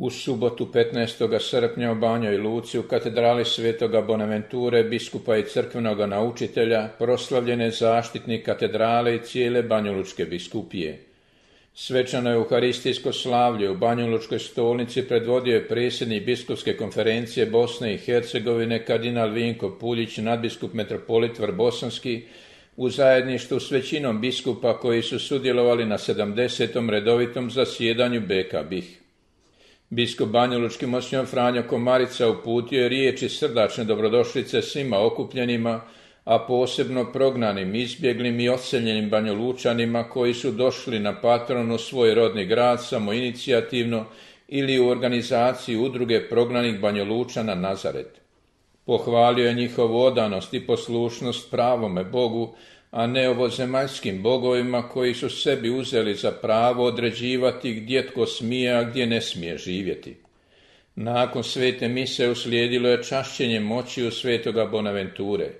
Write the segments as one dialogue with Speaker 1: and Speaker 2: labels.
Speaker 1: U subotu 15. srpnja u Banjoj Luci u katedrali Svetoga Bonaventure, biskupa i crkvenoga naučitelja, proslavljene zaštitnik katedrale i cijele Banjalučke biskupije. Svečano euharistijsko slavlje u Banjalučkoj stolnici predvodio je predsjednik biskupske konferencije Bosne i Hercegovine kardinal Vinko Puljić, nadbiskup metropolit Vrbosanski, u zajedništvu s većinom biskupa koji su sudjelovali na 70. redovitom zasjedanju BK-BiH. Biskup banjalučki monsignor Franjo Komarica uputio je riječi srdačne dobrodošlice svima okupljenima, a posebno prognanim, izbjeglim i odseljenim Banjalučanima koji su došli na patronu svoj rodni grad samoinicijativno ili u organizaciji udruge prognanih Banjalučana Nazaret. Pohvalio je njihovu odanost i poslušnost pravome Bogu, a ne ovozemaljskim bogovima koji su sebi uzeli za pravo određivati gdje tko smije, a gdje ne smije živjeti. Nakon svete mise uslijedilo je čašćenje moći u Svetoga Bonaventure.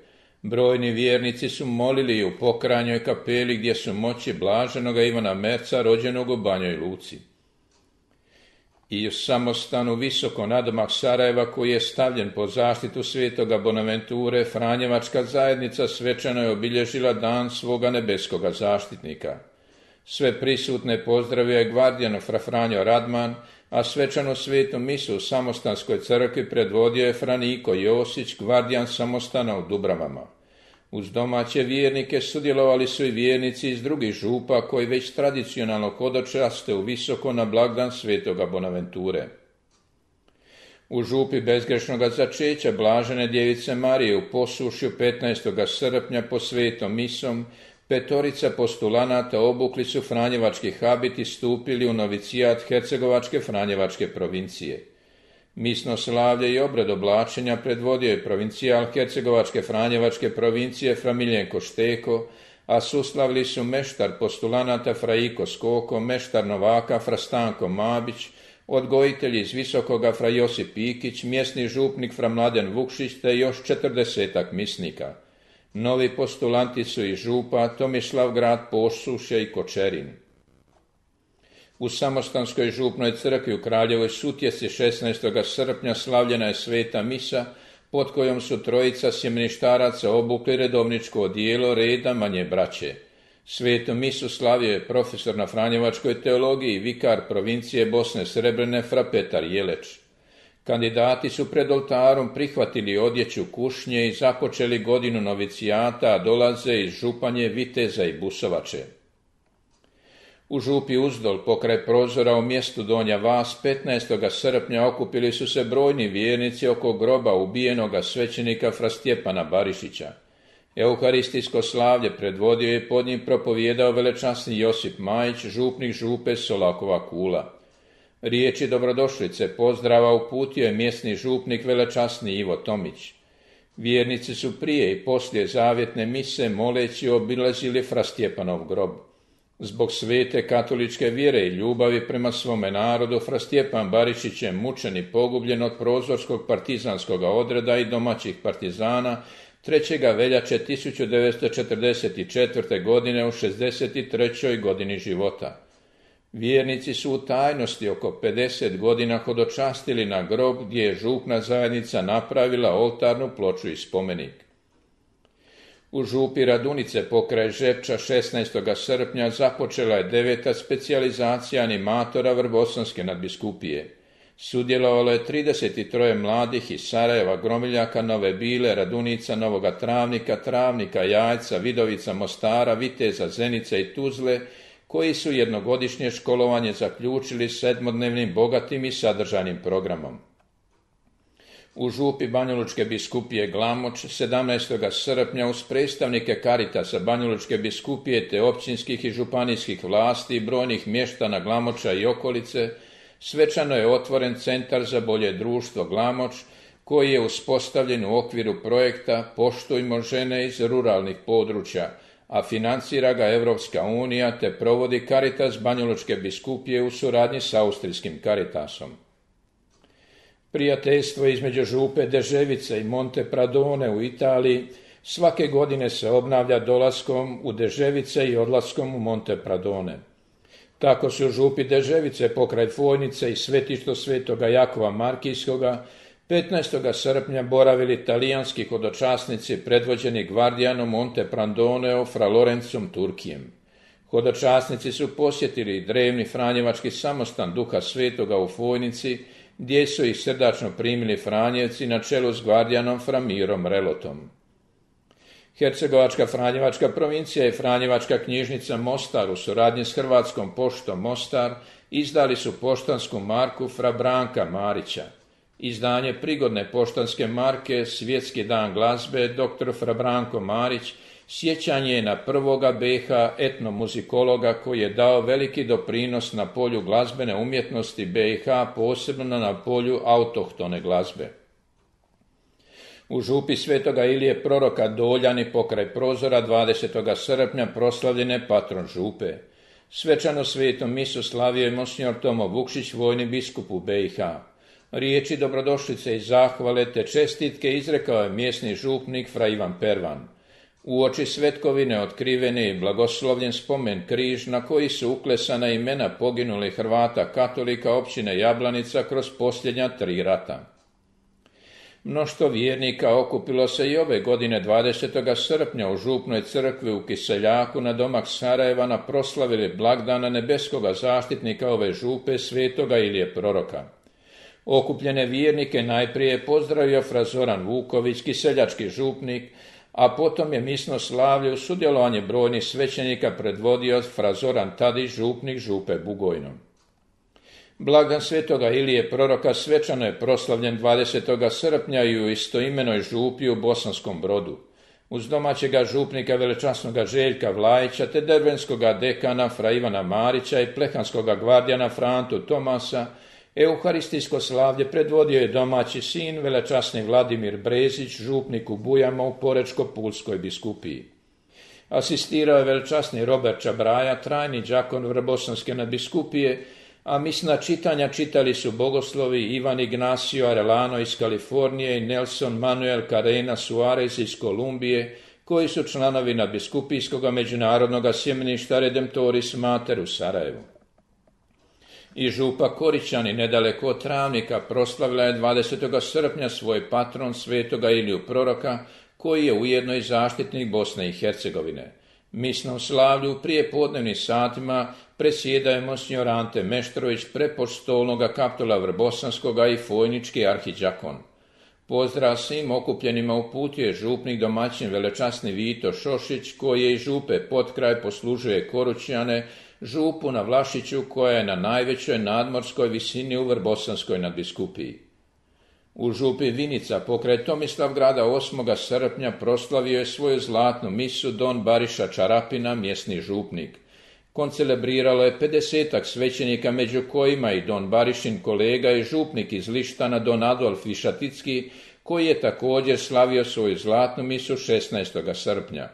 Speaker 1: Brojni vjernici su molili u pokranjoj kapeli gdje su moći blaženoga Ivana Merca, rođenog u Banjoj Luci. I u samostanu visoko nadomak Sarajeva, koji je stavljen pod zaštitu Svetoga Bonaventure, Franjevačka zajednica svečano je obilježila dan svoga nebeskoga zaštitnika. Sve prisutne pozdravio je gvardijan fra Franjo Radman, a svečanu svetu misu u samostanskoj crkvi predvodio je Franiko Josić, gvardijan samostana u Dubravama. Uz domaće vjernike sudjelovali su i vjernici iz drugih župa koji već tradicionalno hodočaste u visoko na blagdan Svetoga Bonaventure. U župi bezgrešnoga začeća blažene djevice Marije u Posušju 15. srpnja po svetom misom petorica postulanata obukli su franjevački habit i stupili u novicijat Hercegovačke Franjevačke provincije. Misno slavlje i obred oblačenja predvodio je provincijal Hercegovačke Franjevačke provincije fra Miljenko Šteko, a suslavili su meštar postulanata fra Iko Skoko, meštar novaka fra Stanko Mabić, odgojitelji iz Visokoga fra Josip Ikić, mjesni župnik fra Mladen Vukšić te još 40 misnika. Novi postulanti su iz župa Tomislavgrad, Posušje i Kočerin. U samostanskoj župnoj crkvi u Kraljevoj Sutjeci 16. srpnja slavljena je sveta misa, pod kojom su trojica sjemeništaraca obukli redovničko odijelo reda manje braće. Svetu misu slavio je profesor na franjevačkoj teologiji i vikar provincije Bosne Srebrene fra Petar Jeleć. Kandidati su pred oltarom prihvatili odjeću kušnje i započeli godinu novicijata, a dolaze iz Županje, Viteza i Busovače. U župi Uzdol, pokraj prozora u mjestu Donja Vas, 15. srpnja okupili su se brojni vjernici oko groba ubijenoga svećenika fra Stjepana Barišića. Euharistijsko slavlje predvodio je pod njim propovijedao velečasni Josip Majić, župnik župe Solakova Kula. Riječi dobrodošlice pozdrava uputio je mjesni župnik velečasni Ivo Tomić. Vjernici su prije i poslije zavjetne mise moleći obilazili fra Stjepanov grob. Zbog svete katoličke vjere i ljubavi prema svome narodu, fra Stjepan Barišić je mučen i pogubljen od prozorskog partizanskog odreda i domaćih partizana 3. veljače 1944. godine u 63. godini života. Vjernici su u tajnosti oko 50 godina hodočastili na grob gdje je župna zajednica napravila oltarnu ploču i spomenik. U župi Radunice pokraj Žepča 16. srpnja započela je 9. specijalizacija animatora Vrbosanske nadbiskupije. Sudjelovalo je 33 mladih iz Sarajeva, Gromiljaka, Nove Bile, Radunica, Novoga Travnika, Travnika, Jajca, Vidovica, Mostara, Viteza, Zenice i Tuzle, koji su jednogodišnje školovanje zaključili 7-dnevnim bogatim i sadržajnim programom. U župi Banjalučke biskupije Glamoč 17. srpnja uz predstavnike Karitasa Banjalučke biskupije te općinskih i županijskih vlasti i brojnih mještana Glamoča i okolice svečano je otvoren centar za bolje društvo Glamoč, koji je uspostavljen u okviru projekta Poštujmo žene iz ruralnih područja, a financira ga Evropska unija te provodi Karitas Banjalučke biskupije u suradnji s austrijskim Karitasom. Prijateljstvo između župe Deževice i Monte Pradone u Italiji svake godine se obnavlja dolaskom u Deževice i odlaskom u Monte Pradone. Tako su župi Deževice pokraj Fojnice i svetišto svetoga Jakova Markijskoga 15. srpnja boravili talijanski hodočasnici predvođeni gvardijanom Monteprandoneo fra Lorencom Turkijem. Hodočasnici su posjetili drevni franjevački samostan Duha Svetoga u Fojnici, gdje su ih srdačno primili Franjevci na čelu s gvardijanom fra Mirom Relotom. Hercegovačka Franjevačka provincija i Franjevačka knjižnica Mostar u suradnji s Hrvatskom poštom Mostar izdali su poštansku marku fra Branka Marića. Izdanje prigodne poštanske marke Svjetski dan glazbe dr. fra Branko Marić sjećanje je na prvoga BiH etnomuzikologa koji je dao veliki doprinos na polju glazbene umjetnosti BiH, posebno na polju autohtone glazbe. U župi Svetoga Ilije proroka Doljani pokraj Prozora 20. srpnja proslavljen je patron župe. Svečano svetom misu slavio je monsignor Tomo Vukšić, vojni biskup u BiH. Riječi dobrodošlice i zahvale te čestitke izrekao je mjesni župnik fra Ivan Pervan. Uoči svetkovine otkrivene i blagoslovljen spomen križ na koji su uklesana imena poginulih Hrvata katolika općine Jablanica kroz posljednja 3 rata. Mnoštvo vjernika okupilo se i ove godine 20. srpnja u župnoj crkvi u Kiseljaku na domak Sarajeva na proslavili blagdana nebeskoga zaštitnika ove župe svetoga Ilije proroka. Okupljene vjernike najprije je pozdravio fra Zoran Vuković, kiseljački župnik, a potom je misno slavlje u sudjelovanje brojnih svećenika predvodio fra Zoran Tadić, župnik župe Bugojno. Blagdan svetoga Ilije proroka svečano je proslavljen 20. srpnja i u istoimenoj župi u Bosanskom Brodu. Uz domaćega župnika velečasnoga Željka Vlajića te dervenskoga dekana fra Ivana Marića i plehanskoga gvardijana Frantu Tomasa, euharistijsko slavlje predvodio je domaći sin velečasni Vladimir Brezić, župnik u Bujama u Porečko-Pulskoj biskupiji. Asistirao je velečasni Robert Čabraja, trajni đakon Vrbosanske nadbiskupije, a misna čitanja čitali su bogoslovi Ivan Ignacio Arellano iz Kalifornije i Nelson Manuel Carrena Suarez iz Kolumbije, koji su članovi nadbiskupijskog međunarodnog sjemeništa Redemptoris Mater u Sarajevu. I župa Koričani nedaleko od Travnika proslavila je 20. srpnja svoj patron svetoga Iliju proroka, koji je ujedno i zaštitnik Bosne i Hercegovine. Misnom slavlju u prijepodnevnim satima predsjedao je monsignor Ante Meštrović, prepostolnoga kaptula Vrbosanskoga i fojnički arhidžakon. Pozdrav svim okupljenima uputio je župnik domaćin velečasni Vito Šošić, koji je iz župe potkraj poslužuje Korućane, župu na Vlašiću koja je na najvećoj nadmorskoj visini u Vrbosanskoj nadbiskupiji. U župi Vinica pokraj Tomislavgrada 8. srpnja proslavio je svoju zlatnu misu don Bariša Čarapina, mjesni župnik. Koncelebriralo je 50 svećenika, među kojima i don Barišin kolega i župnik iz Lištana don Adolf Višaticki, koji je također slavio svoju zlatnu misu 16. srpnja.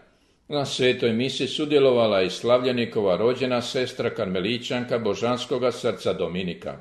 Speaker 1: Na svetoj misi sudjelovala i slavljenikova rođena sestra karmelićanka Božanskoga srca Dominika.